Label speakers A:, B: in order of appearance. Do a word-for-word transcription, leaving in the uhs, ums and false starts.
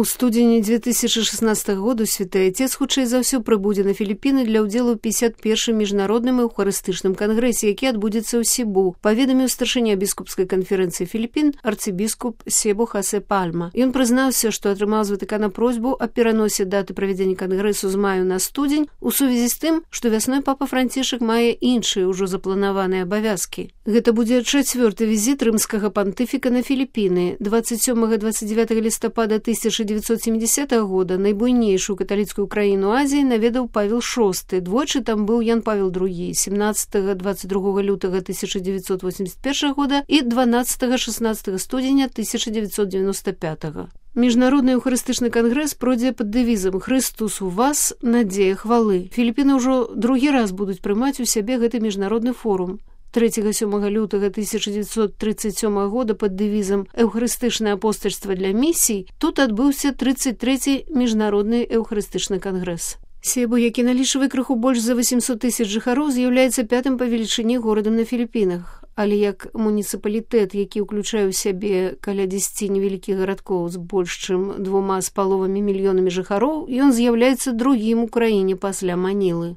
A: У студзені две тысячи шестнадцатага году святы Отец хутчэй за ўсё прыбудзе на Філіпіны для ўдзелу ў пятьдесят первым міжнародным эўхарыстычным кангрэсе, які адбудзецца ў Сібу, паведаміў старшыня біскупскай канферэнцыі Філіпін арцыбіскуп Себу Хасе Пальма. Ён прызнаўся, што атрымаў з Ватыкана просьбу аб пераносе даты правядзення кангрэсу з маю на студзень у сувязі з тым, што вясной папа Францішак мае іншыя ўжо запланаваныя абавязкі. Гэта будзе чацвёрты візіт рымскага пантыфіка на Філіпіны. двадцать сёмага - двадцать девятага лістапада тысяча девятьсот семидесятого года найбуйнейшую каталіцкую краіну Азіі наведаў Павел шосты. Двойчы там быў Ян Павел другі семнадцатага - двадцать другога лютага тысяча девятьсот восемьдесят первого года і дванаццатага - шестнадцатага студзеня тысяча девятьсот девяносто пятого. Міжнародны эўхарыстычны кангрэс пройдзе пад дэвізам «Хрыстус у вас, надзея хвалы». Філіпіны ўжо другі раз будуць прымаць у сябе гэты міжнародны форум. трэцяга - сёмага лютага тысяча девятьсот тридцать сёмого года под дэвізам «Эўхарыстычнае апостальства для місій» тут адбыўся тридцать трэці міжнародны эўхарыстычны кангрэс. Себу, які налічвае крыху больш за восемьсот тысяч жыхароў, з'яўляецца пятым па велічыні горадам на Філіпінах. Але як муніцыпалітэт, які ўключае ў сябе каля дзесяці невялікіх гарадкоў з больш чым двума з паловамі мільёнамі жыхароў, ён з'яўляецца другім у краіне пасля Манілы.